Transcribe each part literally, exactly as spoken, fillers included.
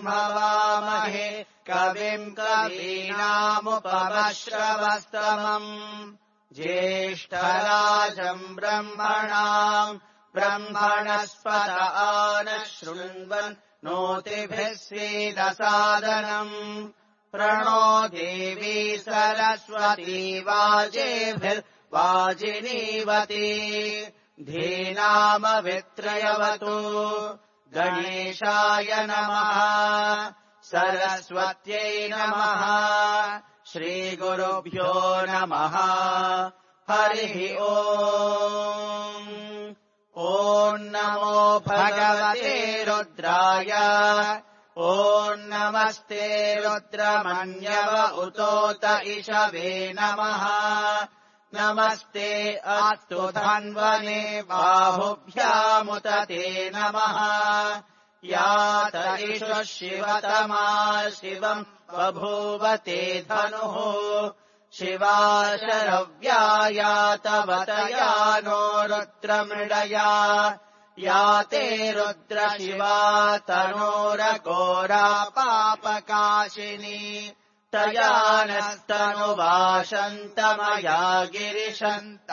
हवामहे कविम् कवीनामुपमश्रवस्तमम् ज्येष्ठराजम् ब्रह्मणाम् ब्रह्मणस्पत आनः शृण्वन् नोतिभिः स्वेदसादनम् प्रणो देवी सरस्वती वाजेभिर्वाजिनीवती धीनामवित्रयवतु गणेशाय नमः सरस्वत्यै नमः श्रीगुरुभ्यो नमः हरिः ओम् ॐ नमो भगवते रुद्राय ॐ नमस्ते रुद्रमन्यव उतोत इषवे नमः नमस्ते अस्तु धन्वने बाहुभ्यामुत ते नमः यात इषु शिवतमा शिवम् बभूवते धनुः शिवा शरव्यायातवतया नो रुद्रमृडया याते रुद्रशिवा तनोरघोरा पापकाशिनी तया नस्तनुवाशन्तमया गिरिशन्ताभिचाकशीः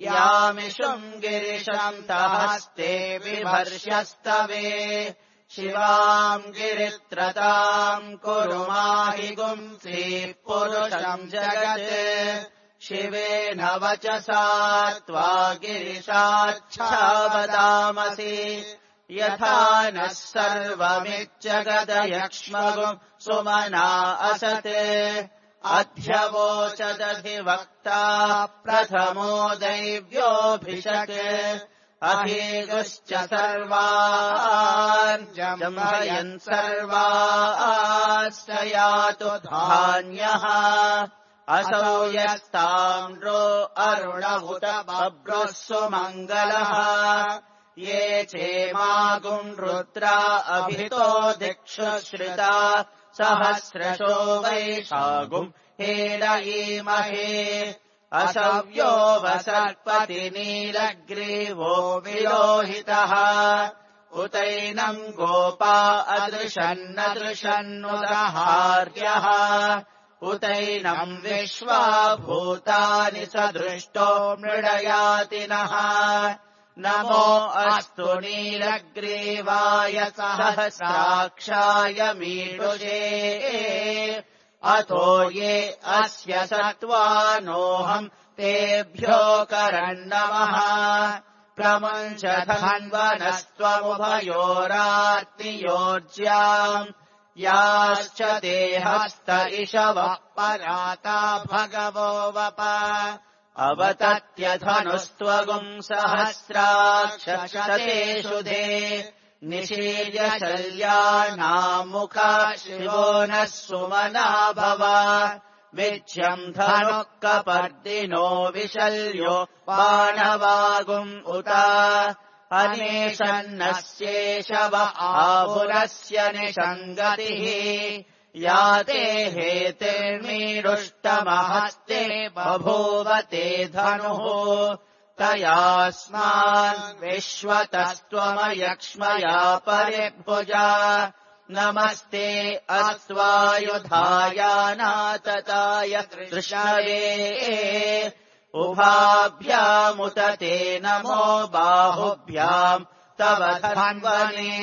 यामिषुम् गिरिशन्तहस्ते बिभर्ष्यस्तवे शिवाम् गिरित्रताम् कुरु माहि गुंसीः पुरुषम् जगत् शिवेन वचसा त्वा गिरिशाच्छावदामसि यथा नः सर्वमिज्जगदयक्ष्मगुम् सुमना असत् अध्यवोचदधिवक्ता प्रथमो दैव्योऽभिषक् अहीगुश्च सर्वान् जम्भयन् सर्वाश्च यातु धान्यः असौ यस्ताम्रो अरुणहुत बभ्रुः सुमङ्गलः ये चेमागुम् रुद्रा अभितो दिक्षु श्रिता सहस्रशो वैशागुम् हेडयीमहे असव्यो वसर्पति नीलग्रीवो विलोहितः उतैनम् गोपा अदृशन्नदृशन्नुदहार्यः उतैनम् विश्वा भूतानि सदृष्टो मृडयातिनः नमो अस्तु नीलग्रीवाय सहस्राक्षाय मीडुजे अतो ये अस्य सत्त्वानोऽहम् तेभ्यो करन्नमः प्रमुञ्च धन्वनस्त्वमुभयोरात्नियोज्याम् याश्च देहस्त इषवः पराता भगवो वप अवतत्यधनुस्त्वगुम् सहस्राक्षशतेषु दे निशील्य शल्यानामुखा शिवो नः सुमना भव विच्यम् धनुः कपर्दिनो विशल्यो बाणवागुम् उत अनेशन्नस्येषव आहुरस्य निषङ्गतिः याते हेतिर्मीरुष्टमहस्ते बभूवते धनुः तयास्मान् विश्वतस्त्वमयक्ष्मया परिभुजा नमस्ते अस्त्वायुधायानातताय कृष्णये उभाभ्यामुत ते नमो बाहुभ्याम् तव धन्वने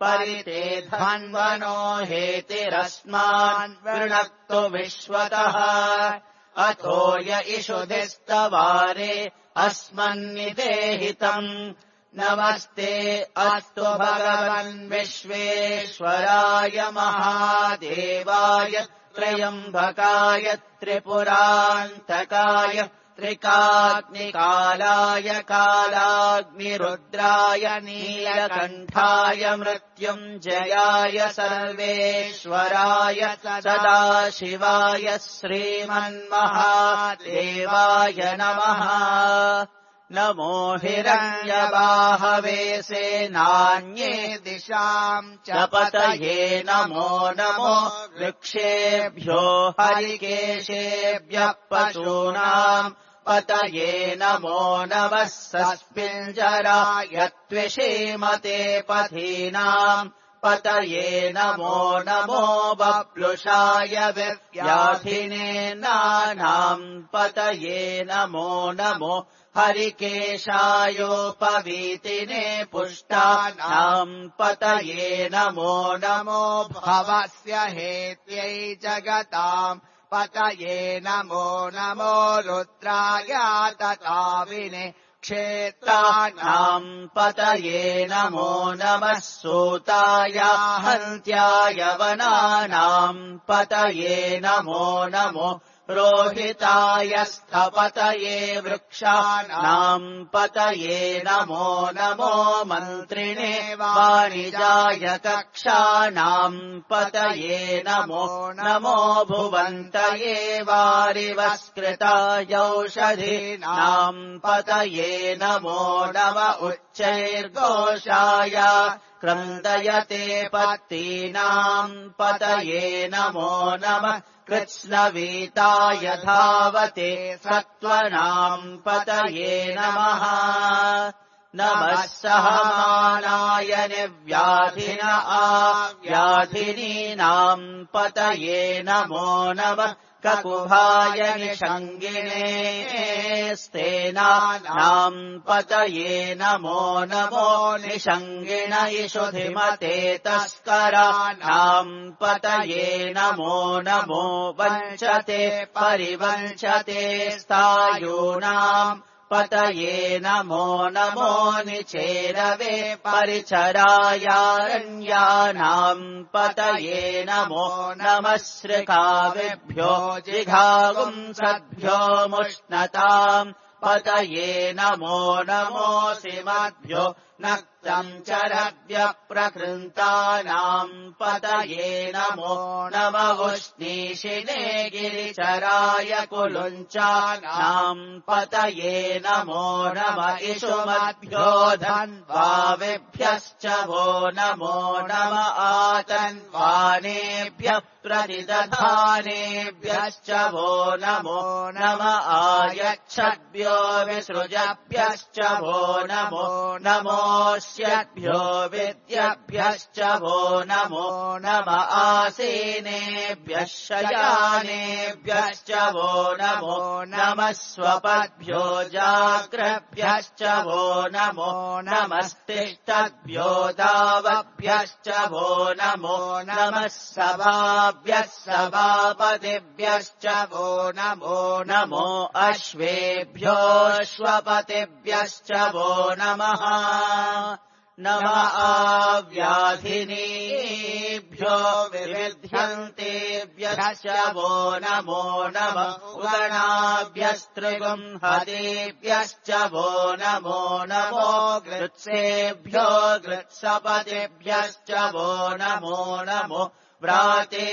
परिते धन्वनो हेतिरस्मान् वृणक्तु विश्वतः अथो य इषुधिस्तवारे अस्मन्निदेहितम् नमस्ते अस्तु भगवन् विश्वेश्वराय महादेवाय त्र्यम्बकाय त्रिपुरान्तकाय त्रिकाग्निकालाय कालाग्निरुद्राय नीलकण्ठाय मृत्युञ्जयाय सर्वेश्वराय सदाशिवाय श्रीमन्महादेवाय नमः नमो हिरण्यबाहवे सेनान्ये दिशाम् च पतये नमो नमो वृक्षेभ्यो हरिकेशेभ्यः पशूनाम् पतये नमो नमः सस्मिञ्जराय त्विषीमते पथीनाम् पतये नमो नमो बप्लुषाय व्याधिने नानाम् पतये नमो नमो हरिकेशायोपवीतिने पुष्टानाम् पतये नमो नमो भवस्य हेत्यै जगताम् पतये नमो नमो रुद्राय तताविने क्षेत्राणाम् पतये नमो नमः सूताय हन्त्याय वनानाम् पतये नमो नमो रोहिताय स्थपतये वृक्षाणाम् पतये नमो नमो मन्त्रिणे वाणिजाय कक्षाणाम् पतये नमो नमो भुवन्तये वारिवस्कृतायौषधीनाम् पतये नमो नम उच्चैर्घोषाय क्रन्दयते पत्तीनाम् पतये नमो नमः कृत्स्नवीताय धावते सत्त्वनाम् पतये नमः नमः सहमानाय निर्व्याधिन आव्याधिनीनाम् पतये नमो नमः ककुभाय निषङ्गिणे स्तेनानाम् पतये नमो नमो निषङ्गिण इषुधिमते तस्कराणाम् पतये नमो नमो वञ्चते परिवञ्चते स्थायूनाम् पतये नमो नमो निचेरवे परिचरायारण्यानाम् पतये नमो नमः श्रिकाविभ्यो जिघागुंसद्भ्यो मुष्णताम् पतये नमो नमोऽसिमद्भ्यो नक्तम् चरव्यप्रकृन्तानाम् पतये नमो नम उष्णीषिणे गिरिचराय कुलुञ्चानाम् पतये नमो नम इषुमद्भ्यो धन्वाविभ्यश्च वो नमो नम आतन्वानेभ्यः प्रतिदधानेभ्यश्च वो नमो नम आयच्छद्भ्यो विसृजभ्यश्च वो नमो नमोऽस्यभ्यो विद्यभ्यश्च वो नमो नम आसीनेभ्यः शयानेभ्यश्च वो नमो नमः स्वपद्भ्यो जाग्रभ्यश्च वो नमो नमस्तिष्ठद्भ्यो दावभ्यश्च वो नमो नमः सभाभ्यः सभापतिभ्यश्च वो नमो नमो अश्वेभ्योऽश्वपतिभ्यश्च वो नमः नम आव्याधिनीभ्यो विविध्यन्तेभ्यश्च वो नमो नम उगणाभ्यस्त्रिगुंहतेभ्यश्च वो नमो नमो गृत्सेभ्यो गृत्सपतिभ्यश्च वो नमो नमो व्रातेभ्यो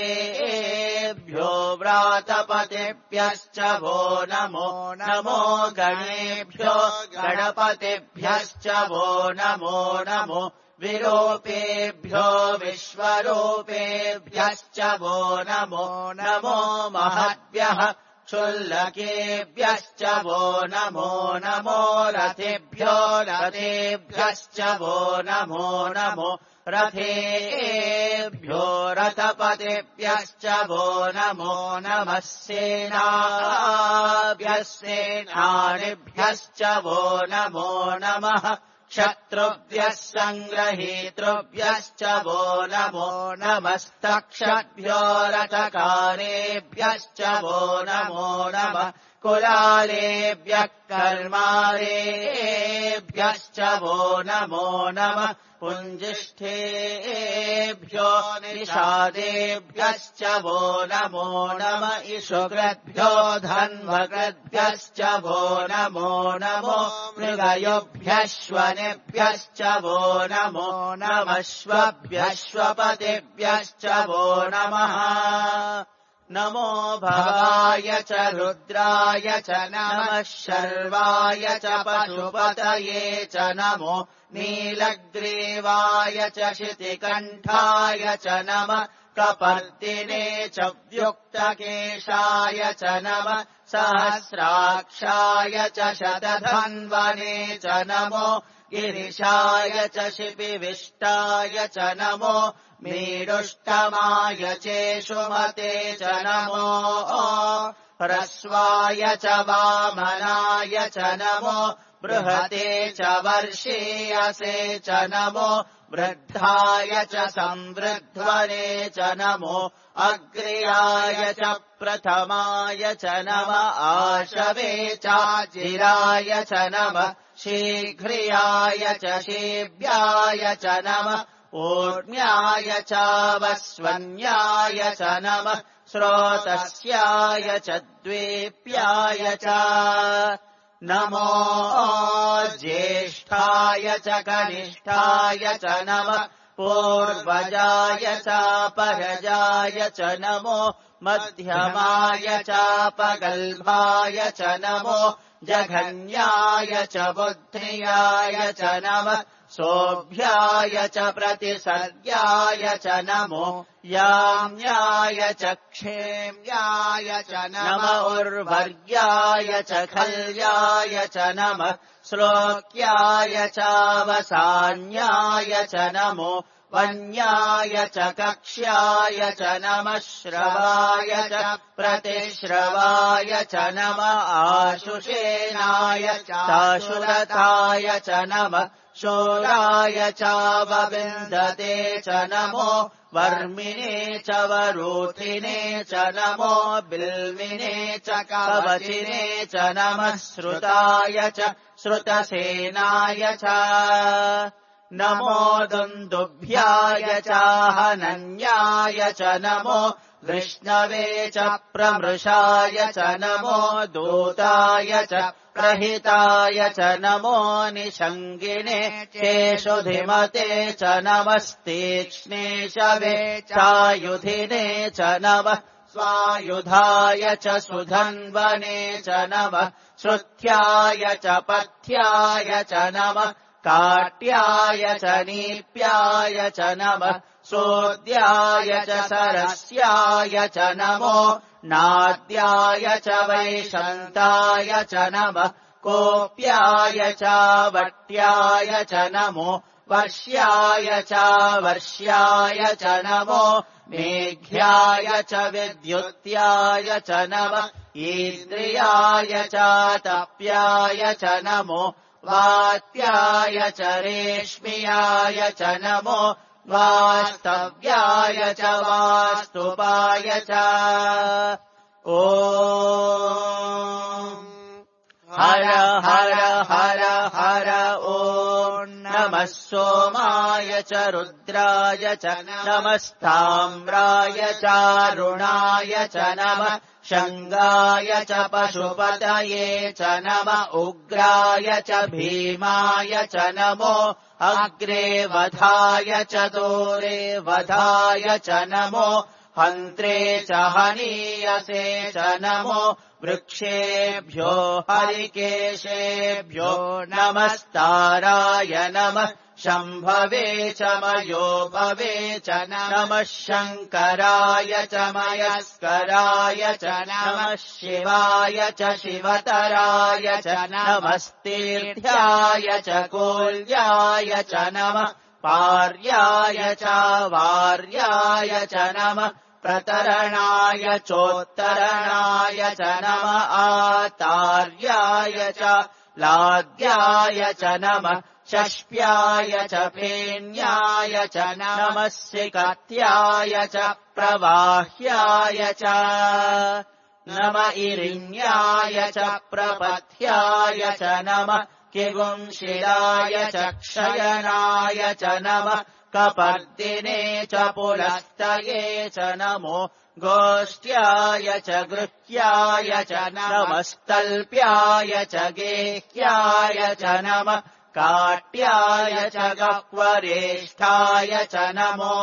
व्रातपतिभ्यश्च वो नमो नमो गणेभ्यो गणपतिभ्यश्च वो नमो नमो विरूपेभ्यो विश्वरूपेभ्यश्च वो नमो नमो महद्भ्यः क्षुल्लकेभ्यश्च वो नमो नमो रथेभ्यो रथेभ्यश्च वो नमो नमो रथेभ्यो रथपतिभ्यश्च वो नमो नमः सेनाभ्यः सेनानिभ्यश्च वो नमो नमः शत्रुभ्यः सङ्ग्रहीतृभ्यश्च वो नमो नमस्तक्षद्भ्यो रथकारेभ्यश्च वो नमो नमः कुलालेभ्यः कर्मारेभ्यश्च वो नमो नमः पुञ्जिष्ठेभ्यो निषादेभ्यश्च वो नमो नम इषुकृद्भ्यो धन्वकृद्भ्यश्च वो नमो नमो मृगयोभ्यश्वनेभ्यश्च वो नमो नमश्वभ्यश्वपतिभ्यश्च वो नमः नमो भवाय च रुद्राय च नमः शर्वाय च पशुपतये च नमो नीलग्रीवाय च शितिकण्ठाय च नमः कपर्दिने च व्युक्तकेशाय च नमः सहस्राक्षाय च शतधन्वने च नमो गिरिशाय च शिपिविष्टाय च नमो मीडुष्टमाय चेषुमते च नमो ह्रस्वाय च वामनाय च नमो बृहते च वर्षीयसे च नमो वृद्धाय च संवृध्वने च नमो अग्र्याय च प्रथमाय च नमः आशवे चाजिराय च नमः शीघ्रियाय च शीभ्याय च नमः ऊर्म्याय चावस्वन्याय च नमः स्रोतस्याय च द्वीप्याय च नमो ज्येष्ठाय च कनिष्ठाय च नमः पूर्वजाय चापरजाय च नमो मध्यमाय चापगल्भाय च नमो जघन्याय च बुद्ध्याय च नमः सोऽभ्याय च प्रतिसर्याय च नमो याम्याय च क्षेम्याय च नमः उर्वर्याय च खल्याय च नमः श्लोक्याय चावसान्याय च नमो वन्याय च कक्ष्याय च नमः श्रवाय च प्रतिश्रवाय च नमः आशुषेनाय चाशुरताय च नमः शूराय चावविन्दते च नमो वर्मिणे च वरूथिने च नमो बिल्विने च कवचिने च नमः श्रुताय च श्रुतसेनाय च नमो दुन्दुभ्याय चाहनन्याय च नमो वृष्णवे च प्रमृषाय च नमो दूताय च प्रहिताय च नमो निषङ्गिणे चेषुधिमते च नमस्तीक्ष्णे शवे चायुधिने च नमः स्वायुधाय च सुधन्वने च नमः श्रुत्याय च पथ्याय च नमः काट्याय च नीप्याय च नमः सोद्याय च सरस्याय च नमो नाद्याय च वैशन्ताय च नमः कोप्याय च वट्याय च नमो वर्ष्याय च वर्ष्याय च नमो मेघ्याय च विद्युत्याय च नमः ईन्द्रियाय च तप्याय च नमो वात्याय च रेश्म्याय च नमो वास्तव्याय च वास्तुपाय च ॐ हर हर हर हर ॐ नमः सोमाय च रुद्राय च नमस्ताम्राय चारुणाय च नमः शङ्गाय च पशुपतये च नमः उग्राय च भीमाय च नमो अग्रे वधाय च दूरे वधाय च नमो हन्त्रे च हनीयसे च नमो वृक्षेभ्यो हरिकेशेभ्यो नमस्ताराय नमः शम्भवे च मयोभवे च नमः शङ्कराय च मयस्कराय च नमः शिवाय च शिवतराय च नमस्तीर्थ्याय च कोल्याय च नमः पार्याय च वार्याय च नमः प्रतरणाय चोत्तरणाय च नमः आतार्याय च लाद्याय च नमः शष्प्याय च फेन्याय च नमः सिकत्याय च प्रवाह्याय च नम इरिण्याय च प्रपथ्याय च नमः किगुंशिलाय च क्षयनाय च नमः कपर्दिने च पुलस्तये च नमो गोष्ट्याय च गृह्याय च नमस्तल्प्याय च गेह्याय च नमः काट्याय च गह्वरेष्ठाय च नमो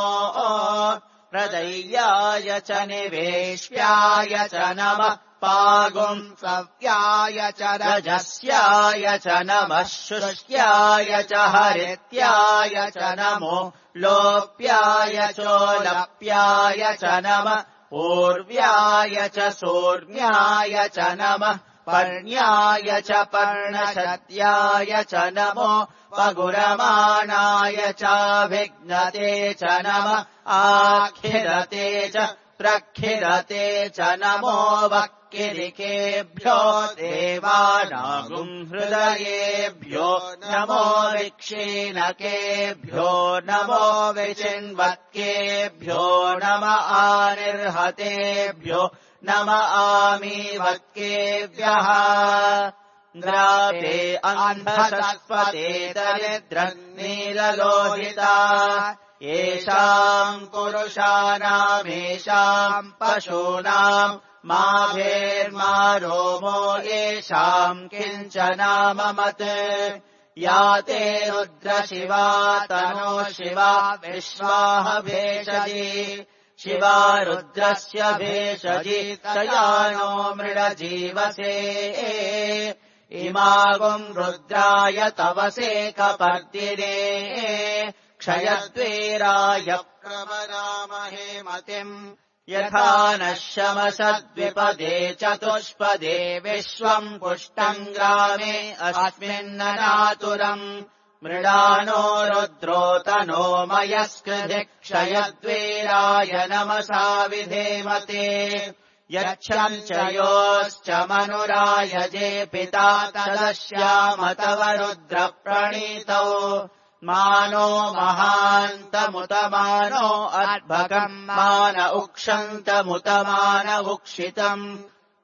प्रदय्याय च निवेश्याय च नमः पागुम् सव्याय च रजस्याय च नमः शुष्याय च हरित्याय च नमो लोप्याय चोलप्याय च नमः पूर्व्याय च सोर्म्याय च नमः पर्ण्याय च पर्णशद्याय च नमो पगुरमाणाय चाभिघ्नते च नमः आखिरते च प्रखिरते च नमो वक्किरिकेभ्यो देवानागुम् हृदयेभ्यो नमो विक्षीणकेभ्यो नमो विचिन्वत्केभ्यो नम आनिर्हतेभ्यो नम आमीवत्केभ्यः द्रावे अन्धसस्वते दरिद्रन्नीललोहिता येषाम् पुरुषाणामेषाम् पशूनाम् माभेर्मा रोमो येषाम् किञ्चनाममत् या ते रुद्रशिवा तनो शिवा विश्वाह भेषजी शिवा रुद्रस्य भेषजी तयानो मृडजीवसे इमागुम् रुद्राय तवसे कपर्दिने क्षयद्वीराय प्रवरामहे मतिम् यथा नः शमसद्विपदे चतुष्पदे विश्वम् पुष्टम् ग्रामे अस्मिन्ननातुरम् मृडानो रुद्रोतनो मयस्कृधि क्षयद्वीराय नमसा विधेमते यच्छम् च योश्च मनुरायजे पिता तदश्याम तव रुद्रप्रणीतौ मानो महान्तमुतमानो अर्भकम् मान उक्षन्तमुतमान उक्षितम्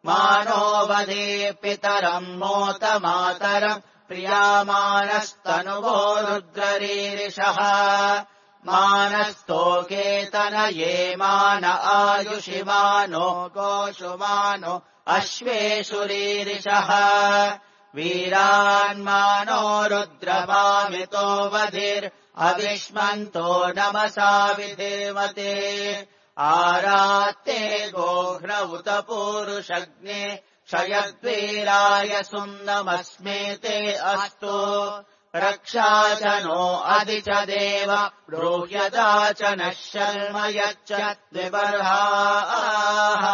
मानो वदे पितरम् मोत मातरम् प्रियामानस्तनुवो रुद्ररीरिषः मानस्तोकेतनये मान आयुषिमानो गोषुमानो अश्वेषुरीरिषः वीरान्मानो रुद्रमामितो वधिर् अविष्मन्तो नमसा विधेमते आरात्ते गोघ्न उत पूरुषग्ने क्षयद्वीराय सुम्नमस्मेते अस्तु रक्षा च नो अधि च देव ब्रूह्यता च नः शर्म यच्च द्विबर्हाः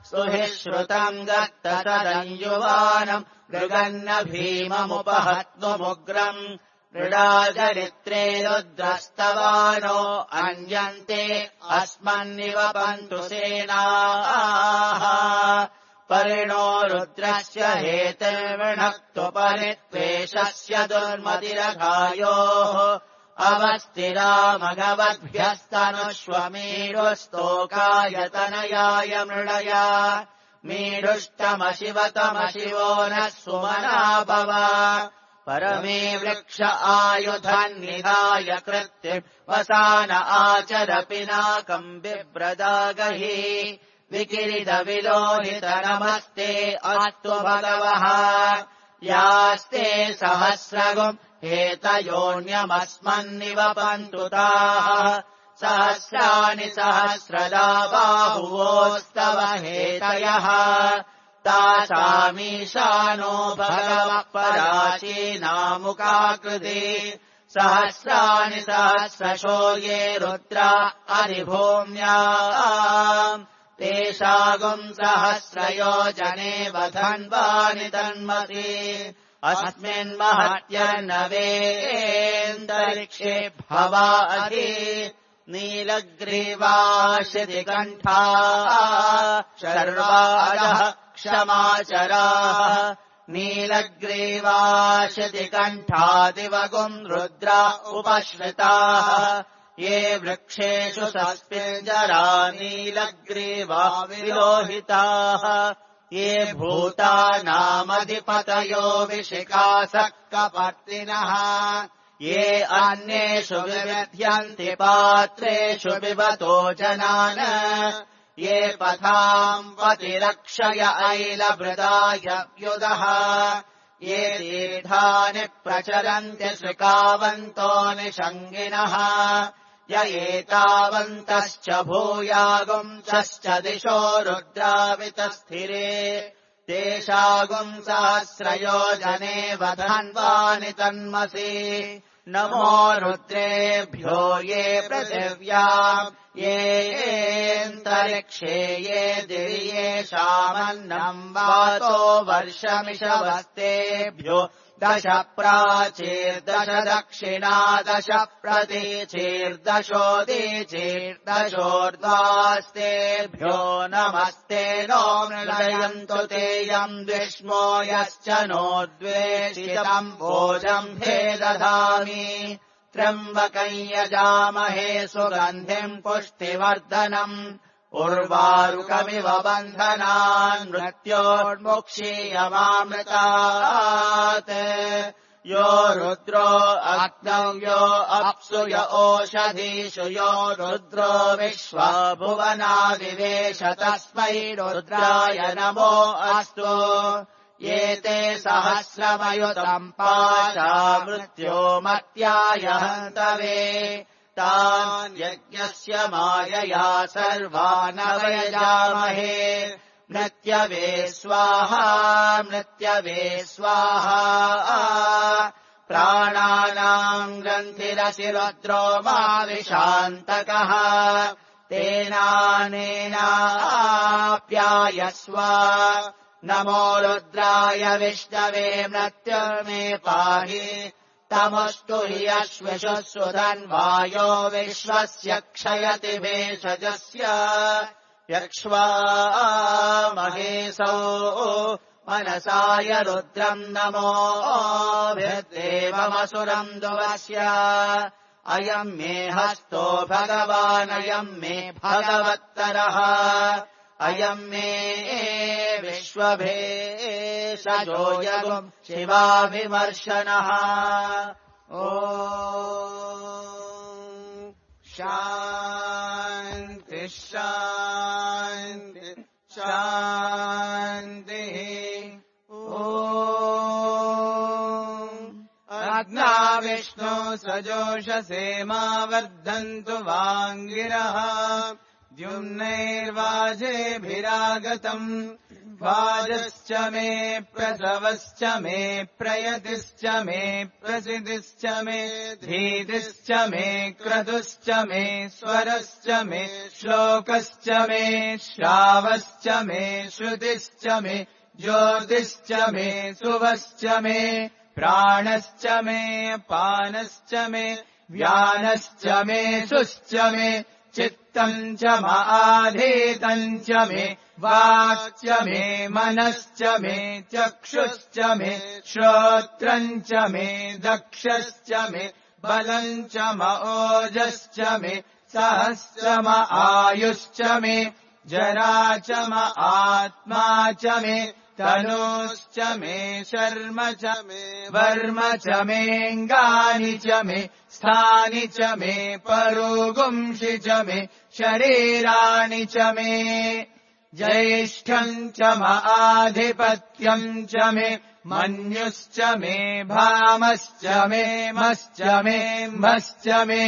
सुहि श्रुतम् दत्त तदञ्जुवानम् मृगन्न भीममुपहत्नुमुग्रम् मृडाचरित्रे रुद्रस्तवानो अन्यन्ते अस्मन्निव पन्तु सेनाः परिणो रुद्रस्य हेतिर्विणक्तुपरित्वेषस्य दुर्मतिरघायोः अवस्थिरामघवद्भ्यस्तनुष्वमीरुस्तोकाय मृडया मीढुष्टमशिवतमशिवो नः सुमना भव परमे वृक्ष आयुधन्निधाय कृत्तिम् वसान आचर पिनाकम् बिभ्रदागहि विकिरिदविलोहित नमस्ते अस्तु भगवः यास्ते सहस्रगुम् हेतयोऽन्यमस्मन्निव पन्तु ताः सहस्राणि सहस्रदा बाहुवोस्तव हेतयः तासामीशानो भगवः पराचीनामुकाकृति सहस्राणि सहस्रशो ये रुद्रा अधिभूम्याम् तेषागुम् सहस्रयोजने वधन्वानि तन्मसि अस्मिन्महत्यर्नवेन्दरिक्षे भवा अधि नीलग्रीवाशितिकण्ठा शर्वाजः क्षमाचराः नीलग्रीवाशितिकण्ठादिवगुम् रुद्रा उपश्रिताः ये वृक्षेषु सस्पिञ्जरा नीलग्रीवा विलोहिताः ये भूतानामधिपतयो विशिखासः कपर्दिनः ये अन्येषु विविध्यन्ति पात्रेषु पिबतो जनान् ये पथाम् पतिरक्षय ऐलभृदाय व्युदः ये तीर्थानि प्रचरन्ति श्रिकावन्तो निषङ्गिनः य एतावन्तश्च भूयागुंसश्च दिशो रुद्रावितस्थिरे तेषागुम् सहस्रयोजने वधन्वानि तन्मसि नमो रुद्रेभ्यो ये पृथिव्याम् येऽन्तरिक्षे ये दिवि येषामन्नम् वातो वर्षमिषवस्तेभ्यो दश प्राचीर्दश दक्षिणा दश प्रतीचीर्दशोदीचीर्दशोर्ध्वास्तेभ्यो नमस्ते नो मृळयन्तु तेयम् द्विष्मो यश्च नो द्वेषितम् भोजम् हे दधामि त्र्यम्बकम् यजामहे सुगन्धिम् पुष्टिवर्धनम् उर्वारुकमिव बन्धनान् मृत्योर्मुक्षीयमामृतात् यो रुद्रो अग्नौ यो अप्सु य ओषधीषु यो रुद्रो विश्वा भुवनादिवेश तस्मै रुद्राय नमो अस्तु एते सहस्रमयुतम् पाशा मृत्यो मत्याय हन्तवे तान् यज्ञस्य मायया सर्वान् अवयजामहे मृत्यवे स्वाहा मृत्यवे स्वाहा प्राणानाम् ग्रन्थिरसि रुद्रो मा विशान्तकः तेनानेनाप्यायस्व नमो रुद्राय विष्णवे मृत्युर्मे पाहि तमस्तु हि अश्विषुः सुधन्वायो विश्वस्य क्षयति भेषजस्य यक्ष्वा महेशो मनसाय रुद्रम् नमोभिर्देवमसुरम् दुवस्य अयम् मे हस्तो भगवानयम् मे भगवत्तरः अयम् मे विश्वभेषजो यगुम् शिवाभिमर्शनः ओ शान्ति शान्ति शान्तिः ओ अग्ना विष्णु सजोषसे मा वर्धन्तु वाङ्गिरः द्युम्नैर्वाजेभिरागतम् वाजश्च मे प्रसवश्च मे प्रयतिश्च मे प्रसिद्धिश्च मे धीतिश्च मे क्रतुश्च मे स्वरश्च मे श्लोकश्च मे श्रावश्च मे श्रुतिश्च मे ज्योतिश्च मे सुवश्च मे प्राणश्च मे पानश्च मे व्यानश्च मे सुश्च मे चित्तम् च माधीतम् च मे वाक् च मे मनश्च मे चक्षुश्च मे श्रोत्रम् च मे दक्षश्च मे बलम् च ओजश्च मे सहस्रम आयुश्च मे जरा च म आत्मा च मे तनूश्च मे शर्म च मे वर्म च मेऽङ्गानि च मे स्थानि च मे परोगुंषि च मे शरीराणि च मे ज्येष्ठम् च आधिपत्यम् च मे मन्युश्च मे भामश्च मे मश्च मे म्भश्च मे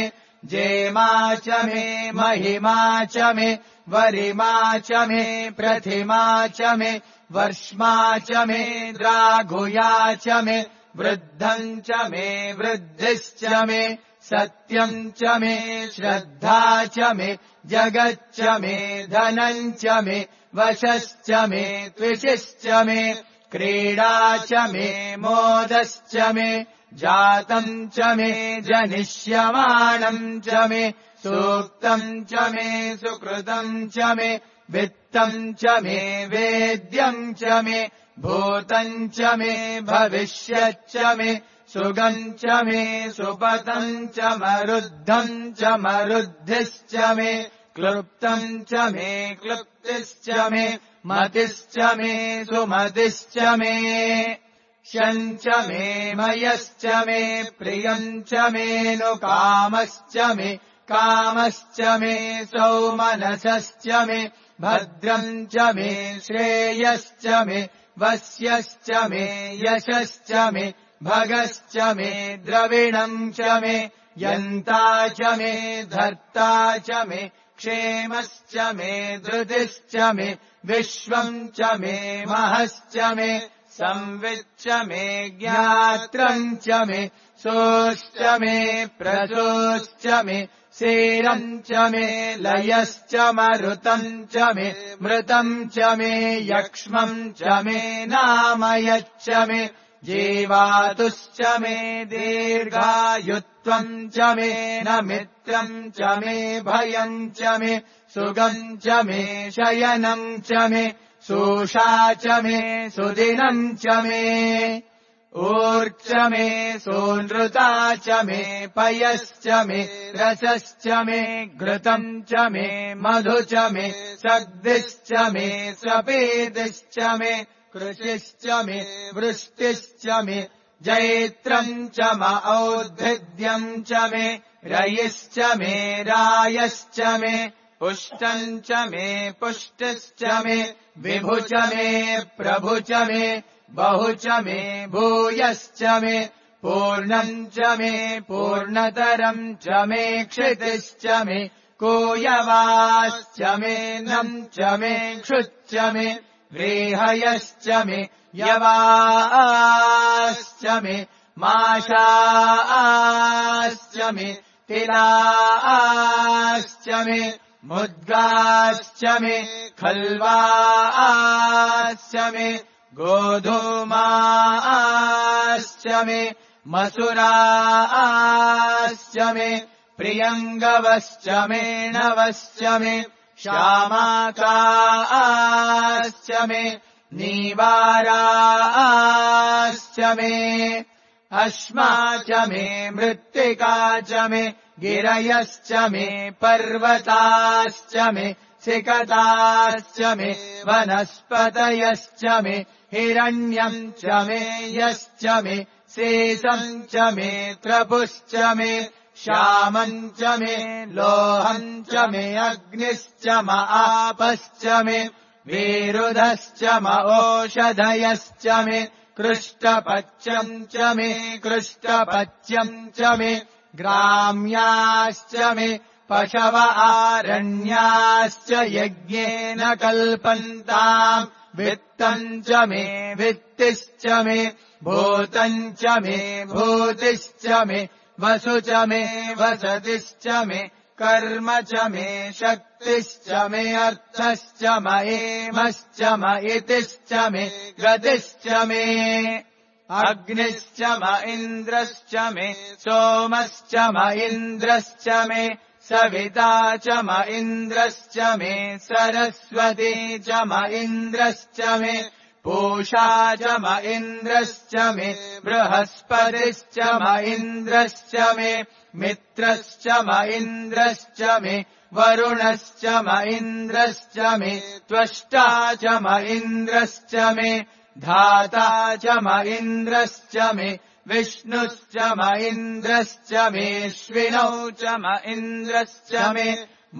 जेमा च मे महिमा च मे वरिमा च मे प्रथिमा च मे वर्ष्मा च मे द्राघुया च मे वृद्धम् च मे वृद्धिश्च मे सत्यम् च मे श्रद्धा च मे जगच्च मे धनम् च मे वशश्च मे त्विषिश्च मे क्रीडा च मे मोदश्च मे जातम् च मे जनिष्यमाणम् च मे सूक्तम् च मे सुकृतम् च मे वित्तम् च मे वेद्यम् च मे भूतम् च मे भविष्यच्च मे सुगम् च मे सुपतम् च मरुद्धम् च मरुद्धिश्च मे क्लृप्तम् च मे क्लृप्तिश्च मे मतिश्च मे सुमतिश्च मे शम् च मे मयश्च मे प्रियम् च मेऽनुकामश्च मे कामश्च मे सौमनसश्च मे भद्रम् च मे श्रेयश्च मे वस्यश्च मे यशश्च मे भगश्च मे द्रविणम् च मे यन्ता च मे धर्ता च मे क्षेमश्च मे धृतिश्च मे विश्वम् च मे महश्च मे संविच्च मे ज्ञात्रम् च मे सोश्च मे प्रसोश्च मे सेरम् च मे लयश्च मरुतम् च मे मृतम् च मे यक्ष्मम् च मे नामयच्च मे जीवातुश्च मे दीर्घायुत्वम् च मे न मित्रम् च मे भयम् च मे सुगम् च मे शयनम् च मे सूषा च मे सुदिनम् च मे ऊर्च मे सोनृता च मे पयश्च मे रसश्च मे घृतम् च मे मधु च मे सग्दिश्च मे सपेदिश्च मे कृषिश्च मे वृष्टिश्च मे जैत्रम् च म औद्भिद्यम् च मे रयिश्च मे रायश्च मे पुष्टम् च मे पुष्टिश्च मे विभु च मे प्रभु च मे बहु च मे भूयश्च मे पूर्णम् च मे पूर्णतरम् च मे क्षितिश्च मे कोयवाश्च मे नम् च मे क्षुच्च मे व्रीहयश्च मे यवाश्च मे माशाश्च मे तिलाश्च मे मुद्गाश्च मे खल्वाश्च मे गोधूमाश्च मे मसुराश्च मे प्रियङ्गवश्च मे नवश्च मे श्यामाकाश्च मे नीवाराश्च मे अश्मा च मे मृत्तिका च मे गिरयश्च मे पर्वताश्च मे सिकताश्च मे वनस्पतयश्च मे हिरण्यम् च मे यश्च मे शेषम् च मे त्रपुश्च मे श्यामम् च मे लोहम् च मे अग्निश्च म आपश्च मे विरुधश्च म ओषधयश्च मे कृष्टपच्यम् च मे कृष्टपच्यम् च मे ग्राम्याश्च मे पशव आरण्याश्च यज्ञेन कल्पन्ताम् वित्तम् च मे वित्तिश्च मे भूतम् च मे भूतिश्च मे वसु च मे वसतिश्च मे कर्म च मे शक्तिश्च मे अर्थश्च म एमश्च म इतिश्च मे गतिश्च मे अग्निश्च म इन्द्रश्च मे सोमश्च म इन्द्रश्च मे सविता च म इन्द्रश्च मे सरस्वती च म इन्द्रश्च मे पूषा च म इन्द्रश्च मे बृहस्पतिश्च म इन्द्रश्च मे मित्रश्च म इन्द्रश्च मे वरुणश्च म इन्द्रश्च मे त्वष्टा च म इन्द्रश्च मे धाता च म इन्द्रश्च मे विष्णुश्च म इन्द्रश्च मेऽश्विनौ च म इन्द्रश्च मे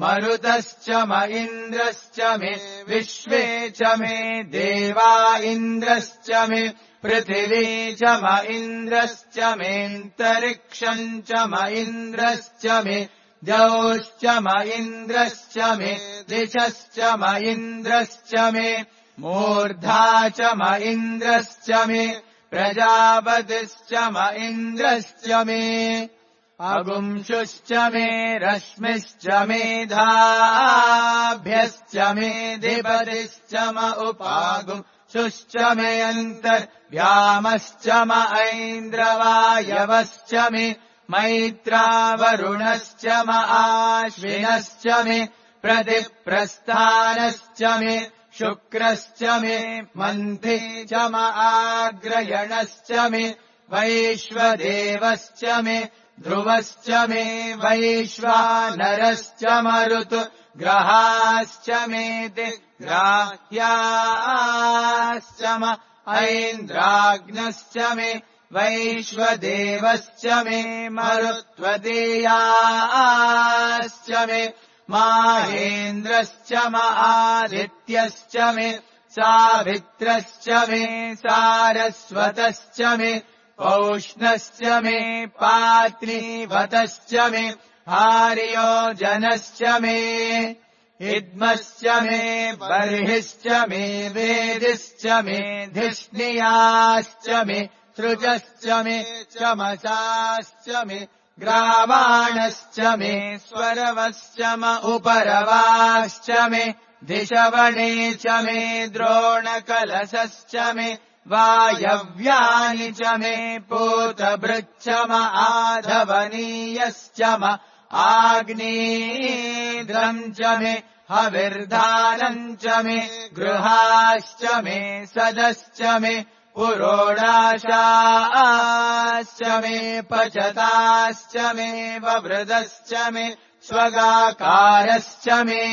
मरुतश्च म इन्द्रश्च मे विश्वे च मे देवा इन्द्रश्च मे पृथिवी च म इन्द्रश्च मेऽन्तरिक्षम् च म इन्द्रश्च मे द्यौश्च म इन्द्रश्च मे दिशश्च म इन्द्रश्च मे मूर्धा च म इन्द्रश्च मे प्रजापतिश्च म इन्द्रश्च मे अगुंशुश्च मे रश्मिश्च मेधाभ्यश्च मे धिपतिश्च म उपागुंशुश्च मे अन्तर्व्यामश्च म ऐन्द्रवायवश्च मे मैत्रावरुणश्च म आश्विनश्च मे प्रतिप्रस्थानश्च मे शुक्रश्च मे मन्थि च म आग्रयणश्च मे वैश्वदेवश्च मे ध्रुवश्च मे वैश्वानरश्च मरुतु ग्रहाश्च मे दिग्राह्याश्च म ऐन्द्राग्नश्च मे वैश्वदेवश्च मे मरुत्वदेयाश्च मे माहेन्द्रश्च म आदित्यश्च मे सावित्रश्च मे सारस्वतश्च मे पौष्णश्च मे पात्नीवतश्च मे आर्योजनश्च मे इद्मश्च मे बर्हिश्च मे वेदिश्च मे धिष्णियाश्च मे सृजश्च मे चमसाश्च मे ग्रावाणश्च मे स्वरवश्च म उपरवाश्च मे दिशवणे च मे द्रोणकलशश्च मे वायव्यानि च मे पूतभृच्च म आधवनीयश्च म आग्नेयद्रम् च मे हविर्धानम् च मे गृहाश्च मे सदश्च मे पुरोडाशाश्च मे पचताश्च मे ववृदश्च मे स्वगाकारश्च मे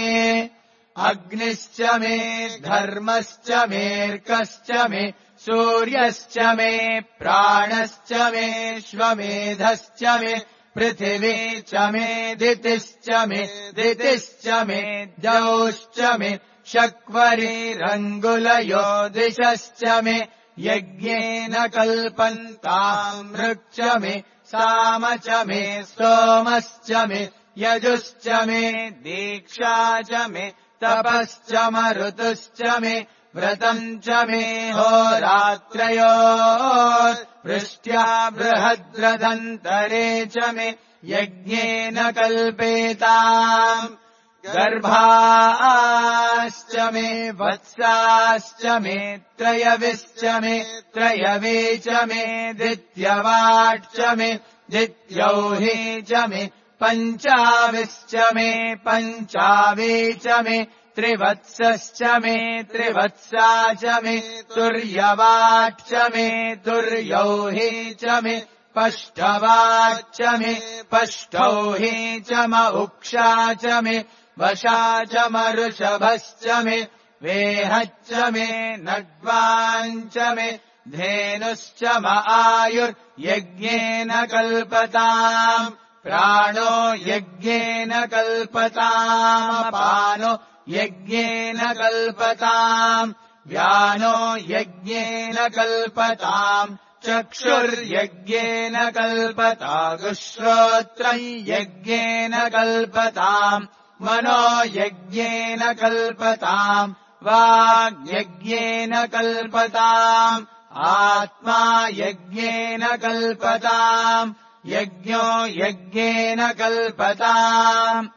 अग्निश्च मे धर्मश्च मेऽर्कश्च मे सूर्यश्च मे प्राणश्च मे श्वमेधश्च मे पृथिवी च मे दितिश्च मे दितिश्च मे द्यौश्च मे शक्वरीरङ्गुलयो दिशश्च मे यज्ञेन कल्पन्ताम् ऋक् मे साम च मे स्तोमश्च मे यजुश्च मे दीक्षा च मे तपश्च मरुतुश्च मे व्रतम् च मे होरात्रयोः वृष्ट्या बृहद्रदन्तरे च मे यज्ञेन कल्पेताम् गर्भाश्च मे वत्साश्च मे त्रयविश्च मे त्रयवे च मे द्वित्यवाट् च मे द्वित्यौही च मे पञ्चाविश्च मे पञ्चावे च मे त्रिवत्सश्च मे त्रिवत्सा च मे तुर्यवाट् च मे तुर्यौही च मे पष्टवाच्च मे पष्टौही च म उक्षा च मे वशा च मऋषभश्च मे वेहच्च मे नड्वाञ्च मे धेनुश्च म आयुर्यज्ञेन कल्पताम् प्राणो यज्ञेन कल्पताम् पानो यज्ञेन कल्पताम् व्यानो यज्ञेन कल्पताम् चक्षुर्यज्ञेन कल्पतागुश्रोत्रम् यज्ञेन कल्पताम् मनो यज्ञेन कल्पताम् वाग्यज्ञेन कल्पताम् आत्मा यज्ञेन कल्पताम् यज्ञो यज्ञेन कल्पताम्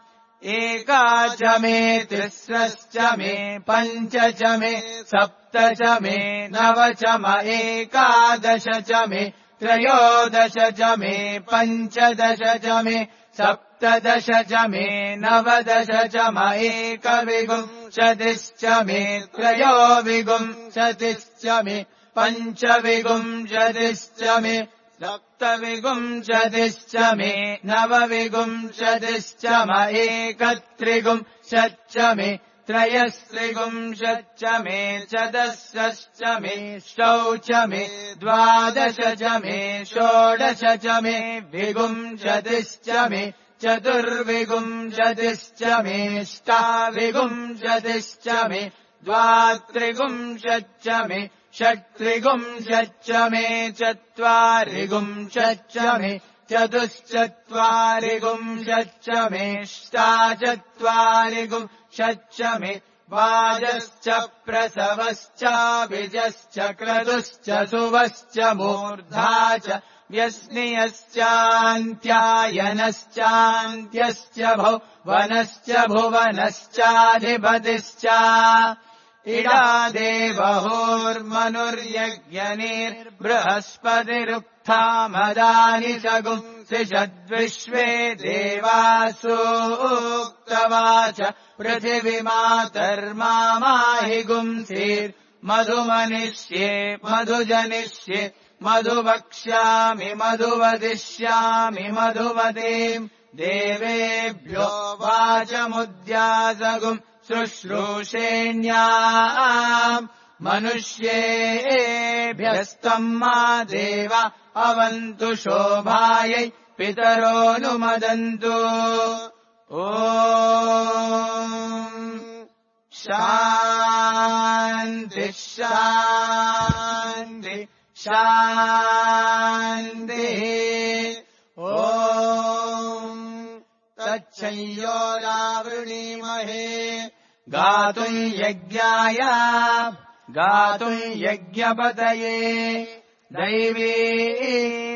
एका च मे तिस्रश्च मे पञ्च च मे सप्त च मे नव च म एकादश च मे त्रयोदश च मे पञ्चदश च मे सप्तदश च मे नवदश च म एकविंशतिश्च मे त्रयोविंशतिश्च मे पञ्चविंशतिश्च मे सप्तविंशतिश्च मे नवविंशतिश्च म एकत्रिंशच्च मे त्रयस्त्रिंशच्च मे चतुष्षश्च मे षष्ठौ च मे द्वादश च मे षोडश च मे विंशतिश्च मे चतुर्विंशतिश्च मे अष्टाविंशतिश्च मे द्वात्रिंशच्च मे षट्त्रिंशच्च मे चत्वारिंशच्च मे चतुश्चत्वारिंशच्च मे अष्टाचत्वारिंशच्च मे वाजश्च प्रसवश्च विजश्च क्रतुश्च सुवश्च मूर्धा च व्यस्नियश्चान्त्यायनश्चान्त्यश्च भुवनश्च भुवनश्चाधिपतिश्च इडा देवहोर्मनुर्यज्ञनिर्बृहस्पतिरुक्था मदानि सगुंसि षद्विश्वे देवासूक्तवाच पृथिवीमातर्मामाहि गुंसीर्मधुमनिष्ये मधुजनिष्ये मधुवक्ष्यामि मधुवदिष्यामि मधुवदेम् देवेभ्यो वाचमुद्यासगुम् शुश्रूषेण्याम् मनुष्येभ्यस्तम् मा देव अवन्तु शोभायै पितरोऽनुमदन्तु ॐ शान्ति शान्ति शान्तिः। ॐ तच्छंयोरावृणीमहे गातुम् यज्ञाय गातुम् यज्ञपतये दैवी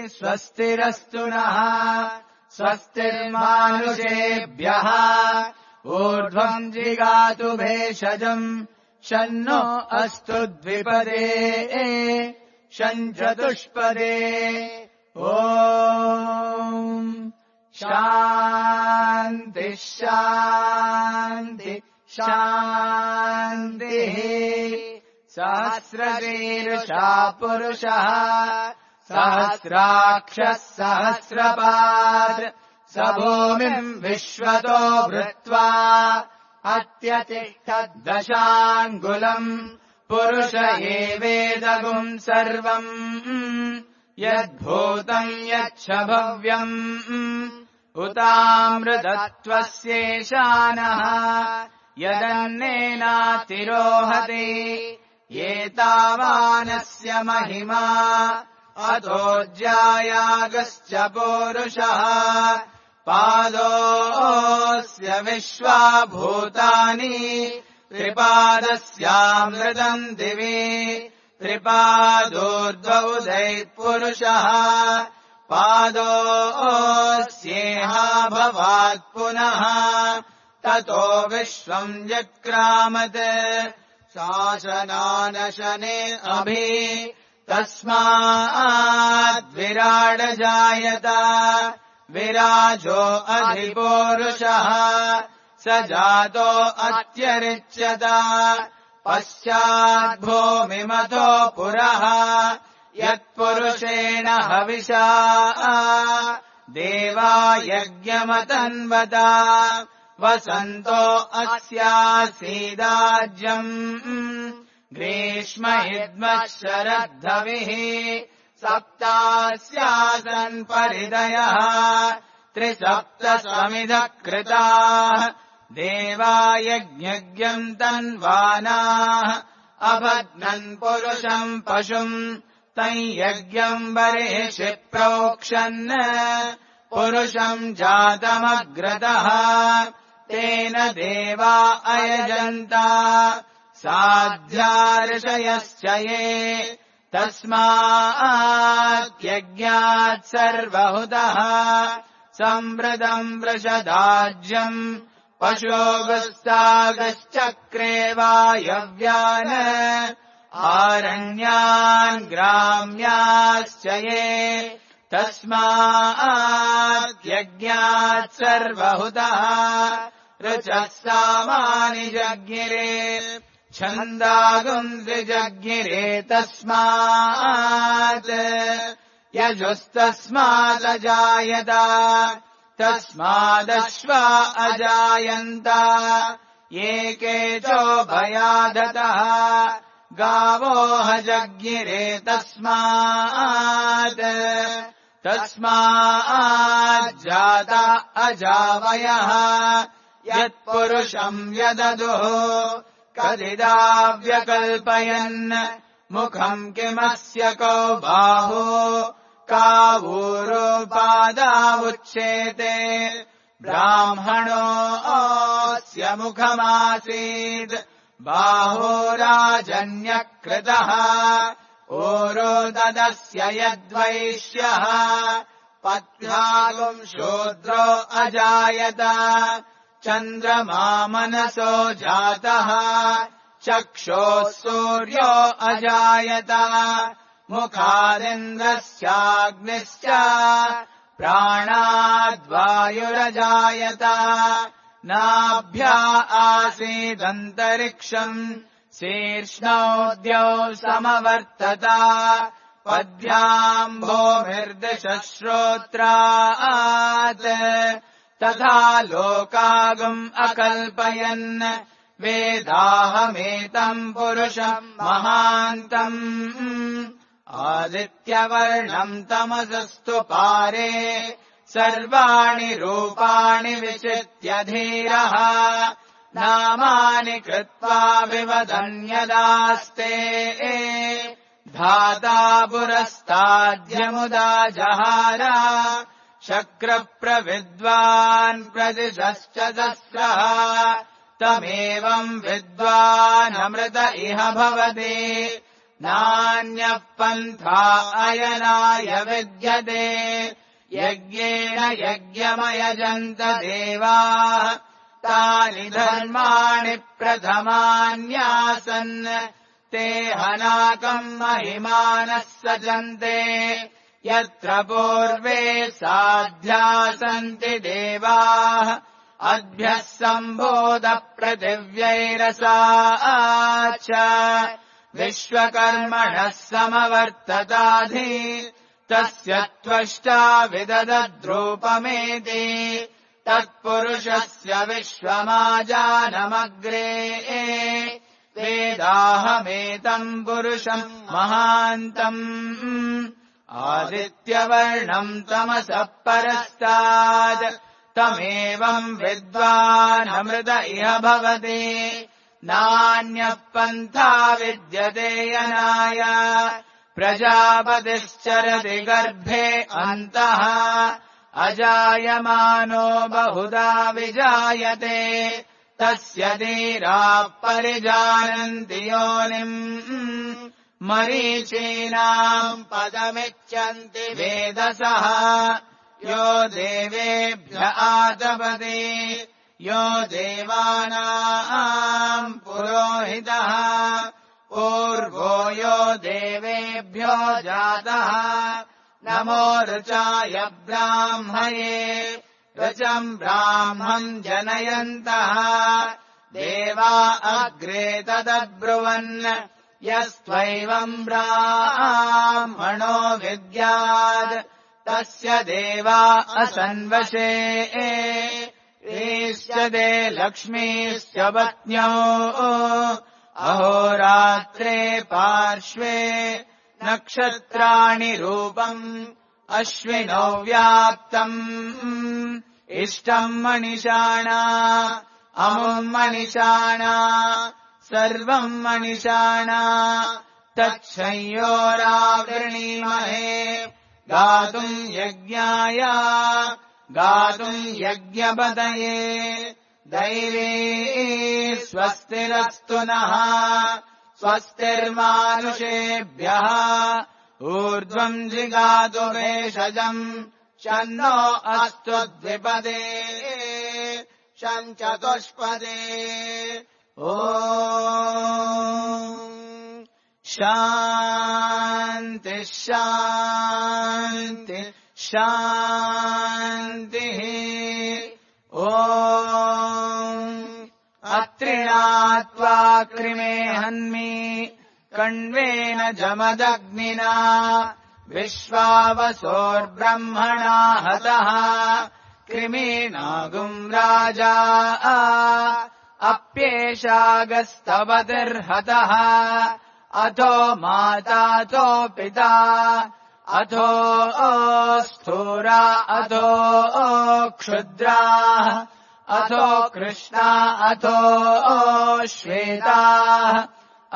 स्वस्तिरस्तु नः स्वस्तिर्मानुषेभ्यः ऊर्ध्वम् जिगातु भेषजम् शन्नो अस्तु द्विपदे शञ्चतुष्पदे। ॐ शान्ति शान्ति शान्तिः। सहस्रशीर्षा पुरुषः सहस्राक्षः सहस्रपात् स भूमिम् विश्वतो भृत्वा अत्यतिष्ठद्दशाङ्गुलम् पुरुष एवेदगुम् सर्वम् यद्भूतम् यच्छ भव्यम् उतामृतत्वस्येशानः यदन्नेनातिरोहति एतावानस्य महिमा अतोऽज्यायागश्च पूरुषः पादोऽस्य विश्वाभूतानि त्रिपादस्यामृतम् दिवि त्रिपादोर्ध्वौदैः पुरुषः पादोऽस्येहा भवात् पुनः ततो विश्वम् जक्रामत् शासनानशने अभि तस्माद्विराडजायत विराजो अधिपूरुषः स जातो अत्यरिच्यत पश्चाद्भूमिमतो पुरः यत्पुरुषेण हविषा देवा यज्ञमतन्वत वसन्तो अस्यासीदाज्यम् ग्रीष्महिद्मः शरद्धविः सप्तास्यासन् परिदयः त्रिसप्त समिधः कृताः देवा यज्ञज्ञम् तन्वानाः अबध्नन् पुरुषम् पशुम् तम् यज्ञम् बर्हिषि प्रोक्षन् पुरुषम् जातमग्रतः तेन देवा अयजन्त साध्यार्षयश्च ये तस्माद्यज्ञात् सर्वहुतः संवृतम् वृषदाज्यम् पशोगस्तागश्चक्रे वायव्यान् आरण्यान् ग्राम्याश्च ये तस्माद्यज्ञात् सर्वहुतः ऋचः सामानि जज्ञिरे छन्दागुंसि जज्ञिरे तस्मात् यजुस्तस्मादजायत तस्मादश्वा अजायन्त एके चोभयादतः गावो जज्ञिरे तस्मात् तस्माज्जाता अजावयः यत्पुरुषम् यददुः कदिदाव्यकल्पयन् मुखम् किमस्य कौ बाहु कावूरोपादावुच्येते ब्राह्मणोऽस्य मुखमासीत् बाहोराजन्यकृतः ओरोददस्य यद्वैश्यः पत्न्यागुम् शूद्रो अजायत चन्द्रमा मनसो जातः चक्षोः सूर्यो अजायत मुखादिन्द्रस्याग्निश्च प्राणाद्वायुरजायत नाभ्या आसीदन्तरिक्षम् शीर्ष्णोद्यौ समवर्तत पद्भ्याम् भूमिर्दिशः श्रोत्रात् तथा लोकागुम् अकल्पयन् वेदाहमेतम् पुरुषम् महान्तम् आदित्यवर्णम् तमसस्तु पारे सर्वाणि रूपाणि विचित्य धीरः नामानि कृत्वा विवदन्यदास्ते धाता पुरस्ताद्यमुदा जहार शक्रप्रविद्वान् प्रदिशश्च दस्रः तमेवम् विद्वानमृत इह भवति नान्यः पन्था अयनाय विद्यते यज्ञेन यज्ञमयजन्त देवाः तानि धर्माणि प्रथमान्यासन् ते हनाकम् महिमानः सजन्ते यत्र पूर्वे साध्या सन्ति देवाः अद्भ्यः सम्भोध पृथिव्यैरसा च विश्वकर्मणः समवर्तताधि तस्य त्वष्टा विददद्रूपमेति तत्पुरुषस्य विश्वमाजानमग्रे वेदाहमेतम् पुरुषम् महान्तम् आदित्यवर्णम् तमसः परस्तात् तमेवम् विद्वानमृत इह भवति नान्यः पन्था विद्यते यनाय प्रजापतिश्चरति गर्भे अन्तः अजायमानो बहुधा विजायते तस्य धीराः परिजानन्ति योनिम् मरीचीनाम् पदमिच्छन्ति वेदसः यो देवेभ्य आतपते यो देवानाम् पुरोहितः पूर्वो यो देवेभ्यो जातः नमो ऋचाय ब्राह्मये ऋचम् ब्राह्मम् जनयन्तः देवा अग्रे तदब्रुवन् यस्त्वैवम् ब्राह्मणो विद्यात् तस्य देवा असन्वशे ईश्यते लक्ष्मीश्च पत्न्यो अहोरात्रे पार्श्वे नक्षत्राणि रूपम् अश्विनौ व्याप्तम् इष्टम् मनिषाणा अमुम् मनिषाणा सर्वम् मनिषाणा तच्छंयोरावृणीमहे गातुम् यज्ञाय गातुम् यज्ञपतये दैवी स्वस्तिरस्तु नः स्वस्तिर्मानुषेभ्यः ऊर्ध्वम् जिगातु भेषजम् शन्नो अस्तु द्विपदे शञ्चतुष्पदे ॐ शान्ति शान्ति शान्तिः ॐ अत्रिणात्वा कृमे हन्मि कण्वेन जमदग्निना विश्वावसोर्ब्रह्मणा हतः कृमीनागुम् राजा अप्येषागस्तवतिर्हतः अथो माताथो पिता अथो स्थूरा अथो क्षुद्रा अथो कृष्णा अथो श्वेताः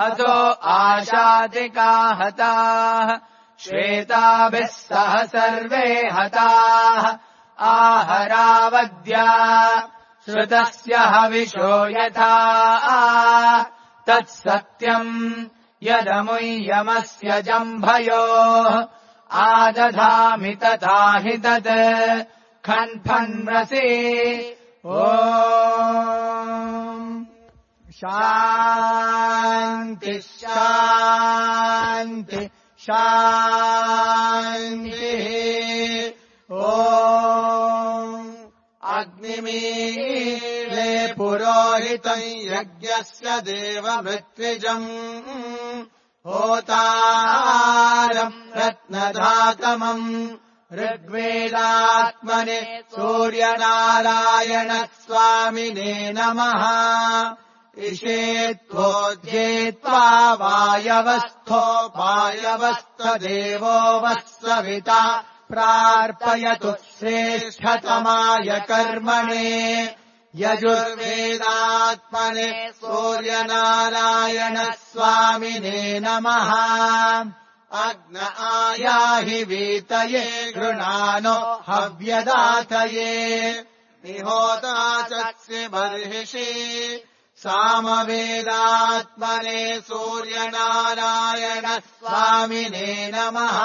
अथो आशातिका हताः श्वेताभिः सह सर्वे हताः आहरावद्या श्रुतस्य हविषो यथा तत्सत्यम् यदमुय्यमस्य जम्भयोः आदधामि तथा हि तत् खन्फन्मसि ॐ शान्ति शान्ति शान्तिः ॐ अग्निमीळे पुरोहितम् यज्ञस्य देवमृत्विजम् होतारम् रत्नधातमम् ऋग्वेदात्मने सूर्यनारायणस्वामिने नमः इषेत्वोज्येत्वा वायवस्थो वायवस्थदेवो वः सविता प्रार्पयतु श्रेष्ठतमाय कर्मणे यजुर्वेदात्मने सूर्यनारायणस्वामिने नमः अग्न आयाहि वीतये गृणानो हव्यदातये निहोता चक्षि बर्हिषि सामवेदात्मने सूर्यनारायण स्वामिने नमः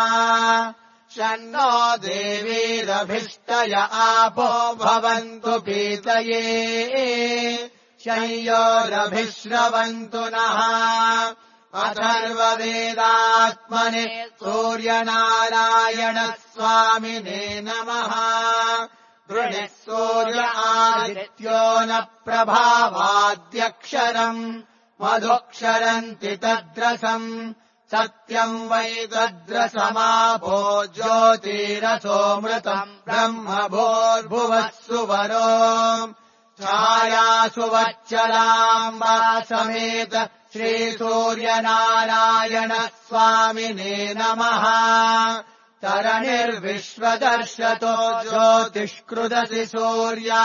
शन्नो देवीरभिष्टय आपो भवन्तु पीतये शय्योरभिश्रवन्तु नः अथर्ववेदात्मने सूर्यनारायण स्वामिने नमः वृणिः सूर्य आदित्यो न प्रभावाद्यक्षरम् मधुक्षरन्ति तद्रसम् सत्यम् वै तद्रसमापो ज्योतिरसोऽमृतम् ब्रह्म भूर्भुवः सुवरो छायासु वच्चलाम्बा समेत श्रीसूर्यनारायण स्वामिने नमः तरणिर्विश्वदर्शतो ज्योतिष्कृदसि सूर्या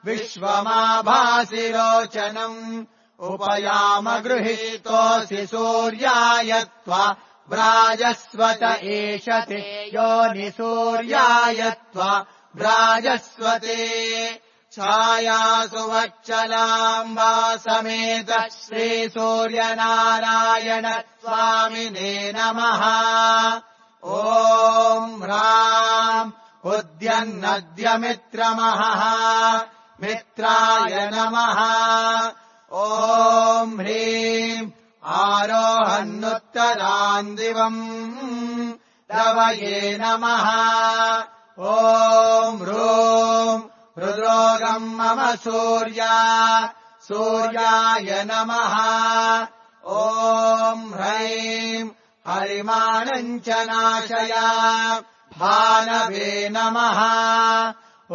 विश्वमाभासि रोचनम् उपयाम गृहीतोऽसि सूर्याय त्वा व्राजस्वत एषते योनिसूर्याय त्वा व्राजस्वते छायासु वच्चलाम्बा समेत श्रीसूर्यनारायण स्वामिने नमः ॐ ह्राम् उद्यन्नद्यमित्रमहः मित्राय नमः ॐ ह्रीम् आरोहन्नुत्तरान् दिवम् रवये नमः ॐ ह्रूम् हृद्रोगम् मम सूर्या सूर्याय नमः ॐ ह्रैम् हरिमाणम् च नाशय भानवे नमः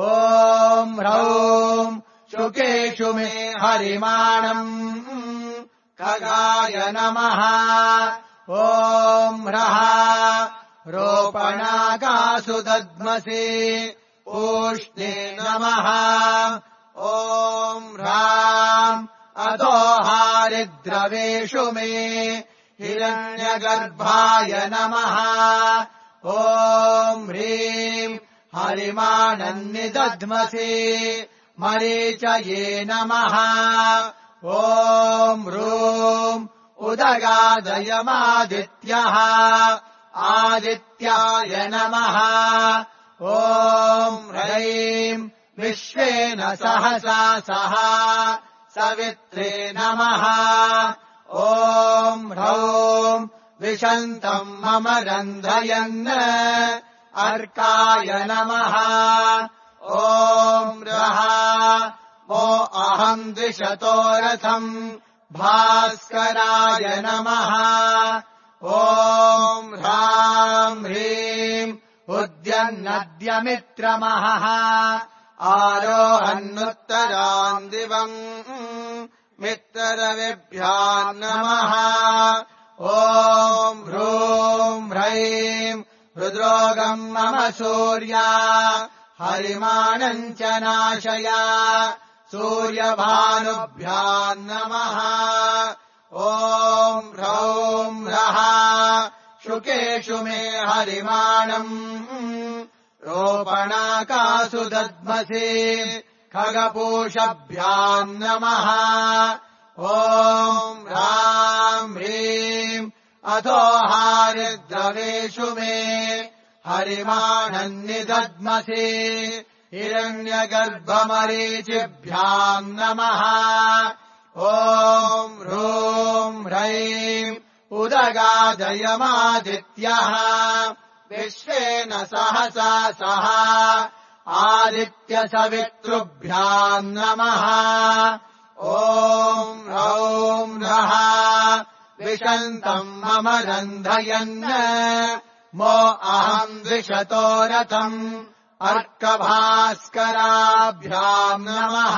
ॐ ह्रौम् शुकेषु मे हरिमाणम् खगाय नमः ॐ ह्रः रोपणाकासु दद्मसि ऊष्णे नमः ॐ ह्राम् अतो हारिद्रवेषु मे हिरण्यगर्भाय नमः ॐ ह्रीम् हरिमाणन्निदध्मसि मरीचये नमः ॐ ह्रूम् उदगादयमादित्यः आदित्याय नमः ॐ ह्रैम् विश्वेन सहसा सह सवित्रे नमः ॐ ह्रौम् विशन्तम् मम रन्धयन् अर्काय नमः ॐ ह्रः वो अहम् द्विषतो रथम् भास्कराय नमः ॐ ह्राम् ह्रीम् उद्यन्नद्यमित्रमहः आरोहन्नुत्तरान् दिवम् मित्ररविभ्याम् नमः ॐ ह्रूम् ह्रैम् हृद्रोगम् मम सूर्या हरिमाणम् च नाशय सूर्यभानुभ्याम् नमः ॐ ह्रौम् ह्रः शुकेषु मे हरिमाणम् रोपणाकासु दद्मसि खगपूषभ्याम् नमः ॐ ह्राम् ह्रीम् अथो हारिद्रवेषु मे हरिमाणन्निदद्मसि हिरण्यगर्भमरीचिभ्याम् नमः ॐ ह्रूम् ह्रैम् उदगादयमादित्यः विश्वेन सहसा सह आदित्यसवितृभ्याम् नमः ॐ ह्रौम् ह्रः विशन्तम् मम रन्धयन् मो अहम् द्विषतो रथम् अर्कभास्कराभ्याम् नमः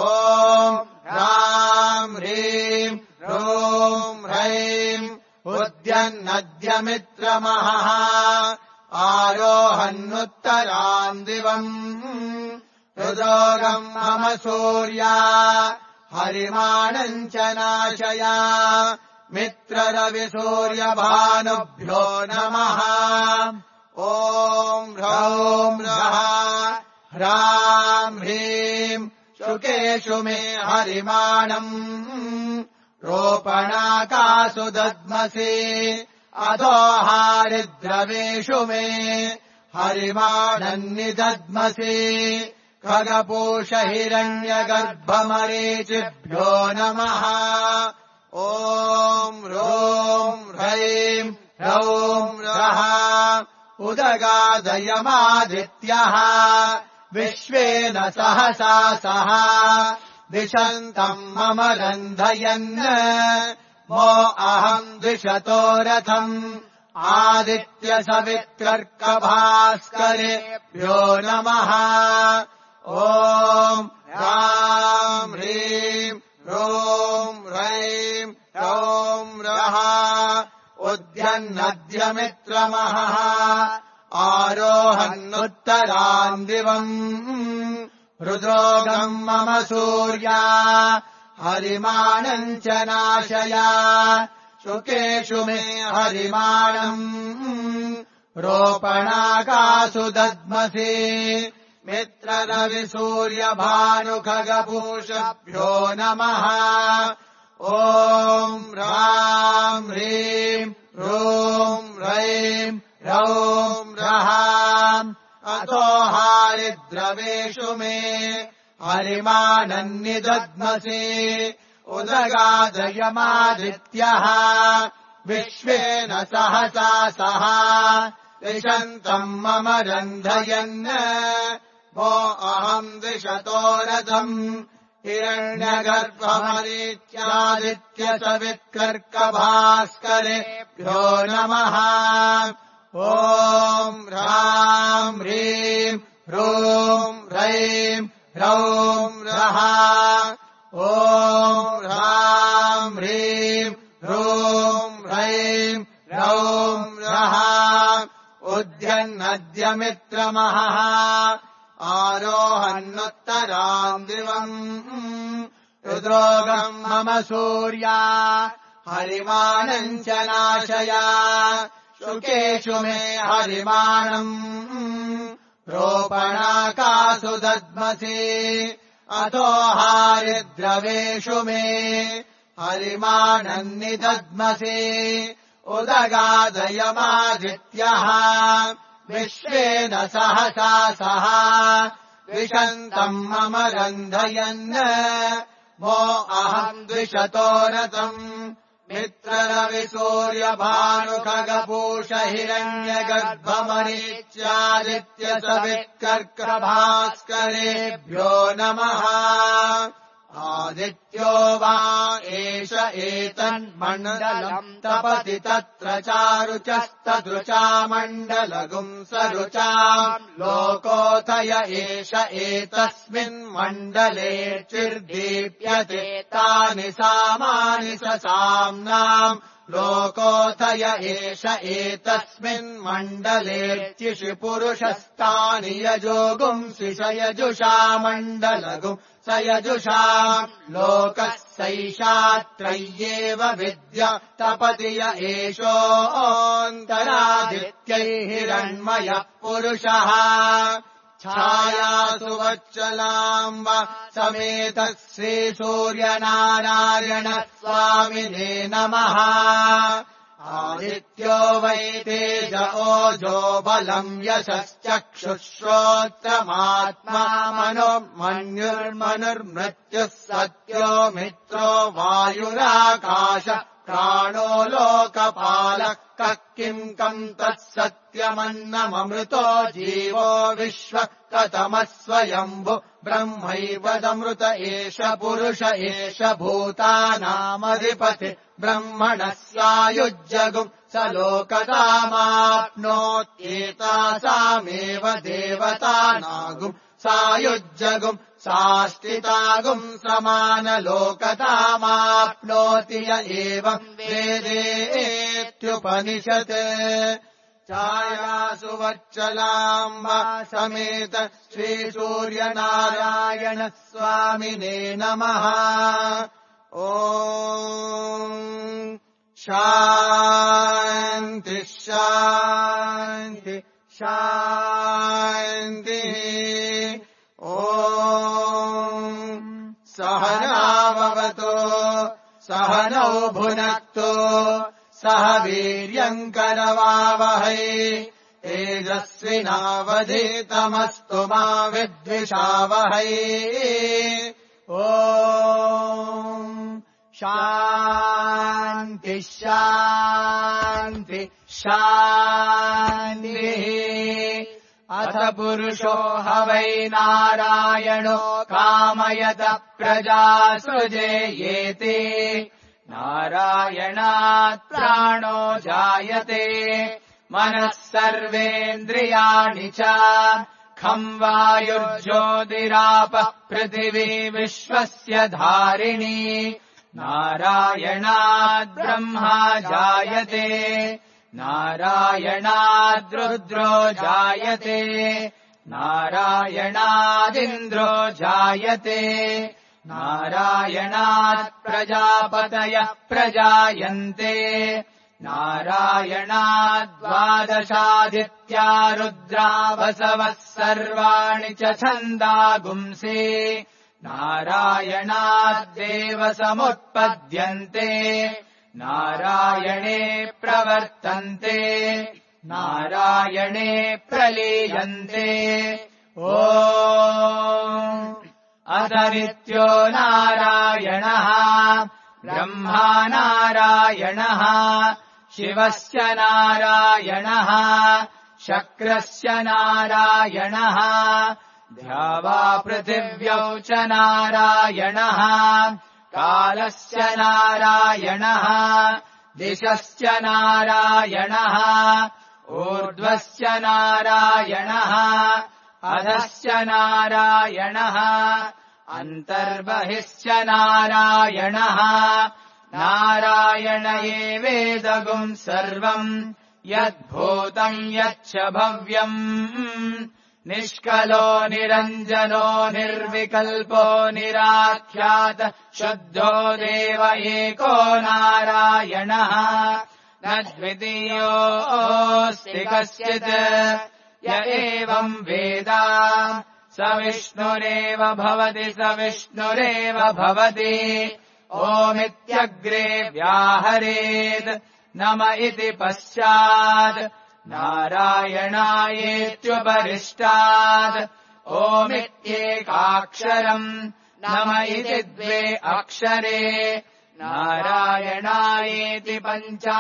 ॐ ह्राम् ह्रीम् ह्रूम् ह्रैम् उद्यन्नद्यमित्रमहः आरोहन्नुत्तरान् दिवम् हृदोगम् मम सूर्या हरिमाणम् च नाशय मित्ररविसूर्यभानुभ्यो नमः। ॐ ह्रौं ह्रः ह्रां ह्रीं शुकेषु मे हरिमाणम् रोपणाकासु दद्मसि अधो हारिद्रवेषु मे हरिमाणन्निदद्मसि खगपूष हिरण्यगर्भमरीचिभ्यो नमः। ॐ ह्रौं ह्रैं ह्रौं ह्रः उदगादयमादित्यः विश्वेन सहसा सह दिशन्तम् मम रन्धयन् मो अहम् द्विषतो रथम् आदित्यसवित्रर्कभास्करेभ्यो नमः। ॐ ह्रां ह्रीं ह्रौं ह्रैं ह्रौं ह्रः उद्यन्नद्यमित्रमहः आरोहन्नुत्तरान् दिवम् रुद्रोगम् मम सूर्या हरिमाणम् च नाशया शुकेषु मे हरिमाणम् रोपणाकासु दद्मसि मित्ररविसूर्यभानुखगपूषभ्यो नमः। ॐ ह्रां ह्रीं ह्रौं ह्रैं ह्रौं ह्रः अतो हारिद्रवेषु मे हरिमाणन्निदद्मसि उदगादयमादित्यः विश्वेन सहसा सह दिशन्तम् मम रन्धयन् वो अहम् द्विषतो रथम् हिरण्यगर्भमरीत्यादित्यसवित्कर्कभास्करेभ्यो नमः। ॐ ह्रां ह्रीं ह्रौं ह्रैं ह्रौं ह्रः ॐ ह्रां ह्रीं ह्रौं ह्रैं ह्रौं ह्रः उद्यन्नद्यमित्रमहः आरोहन्नुत्तराम् दिवम् रुद्रोगम् मम सूर्या हरिमाणम् च नाशया शुकेषु मे हरिमाणम् रोपणाकासु दद्मसि अथो हारिद्रवेषु मे हरिमाणन्निदद्मसि उदगादयमादित्यः विश्वेन सहसा सह द्विषन्तम् मम रन्धयन् वो अहम् द्विषतो रथम् मित्ररविसूर्यभानुखगपूष हिरण्यगर्भमरीत्यादित्यसवित्कर्कभास्करेभ्यो नमः। आदित्यो वा एष एतन्मण्डलम् तपति तत्र चारुचस्तदृचा मण्डलगुम् सरुचाम् लोकोऽथय एष एतस्मिन्मण्डले चिर्दीप्यते तानि सामानि ससाम्नाम् लोकोऽथय एष एतस्मिन्मण्डले चिषि पुरुषस्तानि यजोगुंसि सयजुषा मण्डलगुम् सयजुषाम् लोकः सैषात्रय्येव विद्या तपति य एषोऽन्तरादित्यै हिरण्मयः पुरुषः छायासु वच्चलाम्ब समेतः श्रीसूर्यनारायण स्वामिने नमः। आदित्यो वै तेज ओजो बलम् यशश्चक्षुश्रोत्रमात्मा मनो मन्युर्मनुर्मृत्युः सत्यो मित्रो वायुराकाश प्राणो लोकपालः कः किम् कम् तत्सत्यमन्नममृतो जीवो विश्व कतमः स्वयम्भु ब्रह्मैवदमृत एष पुरुष एष भूतानामधिपति ब्रह्मणः सायुज्यगुम् स लोकतामाप्नोत्येतासामेव देवतानागुम् सायुज्यगुम् साष्टितागुम् समानलोकतामाप्नोति य एवम् वेदेत्युपनिषत्। छायासु वच्चलाम्ब समेत श्रीसूर्यनारायण स्वामिने नमः। ॐ शान्ति शान्ति शान्तिः। ॐ सहनाववतु सहनौ भुनक्तु सह वीर्यम् करवावहै तेजस्विनावधीतमस्तु मा विद्विषावहै। ॐ शान्ति शान्ति शान्तिः। अथ पुरुषो ह वै नारायणो कामयत प्रजा सृजेयेति। नारायणात् प्राणो जायते मनः सर्वेन्द्रियाणि च। खं वायुर्ज्योतिरापः पृथिवी विश्वस्य धारिणी। नारायणाद् ब्रह्मा जायते नारायणाद् रुद्रो जायते नारायणादिन्द्रो जायते नारायणात् प्रजापतयः प्रजायन्ते। नारायणाद्वादशादित्या रुद्रा वसवः सर्वाणि च छन्दागुंसि। नारायणाद्देव समुत्पद्यन्ते नारायणे प्रवर्तन्ते नारायणे प्रलीयन्ते। ॐ अथ नित्यो नारायणः ब्रह्मा नारायणः शिवस्य नारायणः शक्रस्य नारायणः द्यावा पृथिव्यौ च नारायणः कालस्य नारायणः दिशश्च नारायणः ऊर्ध्वस्य नारायणः अधश्च नारायणः अन्तर्बहिश्च नारायणः। नारायण एवेदगुम् सर्वम् यद्भूतम् यच्च भव्यम्। निष्कलो निरञ्जनो निर्विकल्पो निराख्यात शुद्धो देव एको नारायणः। न द्वितीयोऽस्ति कश्चित् य एवम् वेद स विष्णुरेव भवति स विष्णुरेव भवति। ओमित्यग्रे व्याहरेत् नम इति पश्चात् नारायणायेत्युपरिष्टात् ओमित्येकाक्षरम् नम इति द्वे अक्षरे नारायणायेति पञ्चाक्षराणि।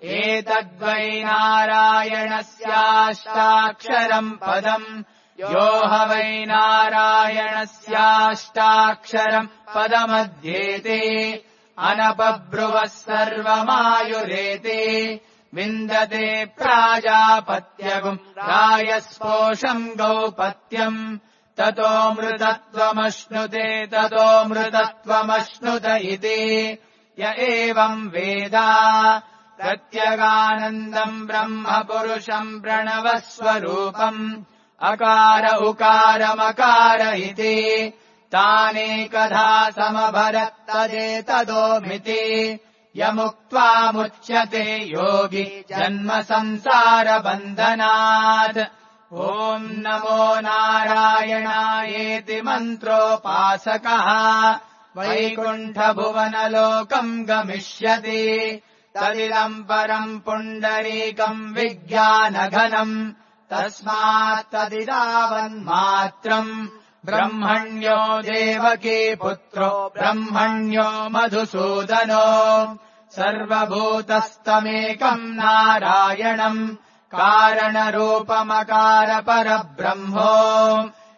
एतद्वै नारायणस्याष्टाक्षरम् पदम् यो ह वै नारायणस्याष्टाक्षरम् पदमध्येति अनपब्रुवः सर्वमायुरेति। विन्दते प्राजापत्यगुम् रायस्पोषम् गौपत्यम् ततोऽमृतत्वमश्नुते ततोऽमृतत्वमश्नुत इति। य एवम् वेद प्रत्यगानन्दम् ब्रह्म पुरुषम् प्रणवस्वरूपम् अकार उकारमकार इति। तानेकधा समभरत्तदेतदोमिति यमुक्त्वा मुच्यते योगी जन्म संसारबन्धनात्। ॐ नमो नारायणायेति मन्त्रोपासकः वैकुण्ठभुवनलोकम् गमिष्यति। तदिदम् परम् पुण्डरीकम् विज्ञानघनम् तस्मात् तदिदावन्मात्रम्। ब्रह्मण्यो देवकी पुत्रो ब्रह्मण्यो मधुसूदनो सर्वभूतस्तमेकम् नारायणम् कारणरूपमकार परब्रह्मो।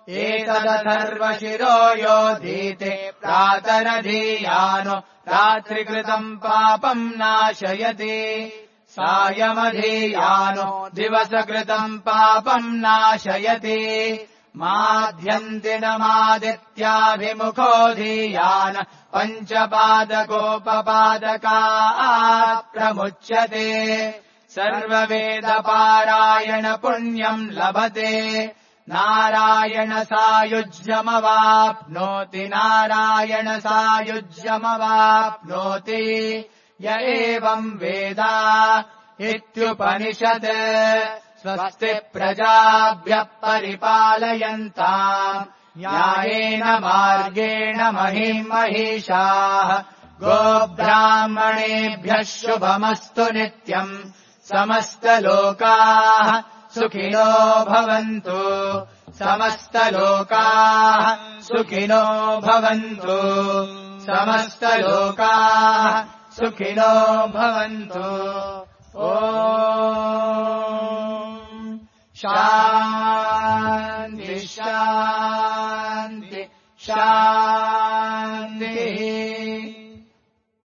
एतदथर्वशिरो योधीते प्रातरधीयानो रात्रिकृतम् पापम् नाशयति। सायमधीयानो दिवसकृतम् पापम् नाशयति। माध्यन्तिनमादित्याभिमुखो धीयान पञ्चपादकोपपादकात् प्रमुच्यते। सर्ववेदपारायण पुण्यम् लभते नारायणसायुज्यमवाप्नोति नारायणसायुज्यमवाप्नोति य एवम् वेद इत्युपनिषत् स्वस्ति प्रजाभ्यः परिपालयन्ताम् न्यायेन मार्गेण महिम् महिषाः गोब्राह्मणेभ्यः शुभमस्तु नित्यम् समस्तलोकाः सुखिनो भवन्तु समस्तलोकाः सुखिनो भवन्तु समस्तलोकाः सुखिनो भवन्तु ॐ शान्ति शान्ति शान्ति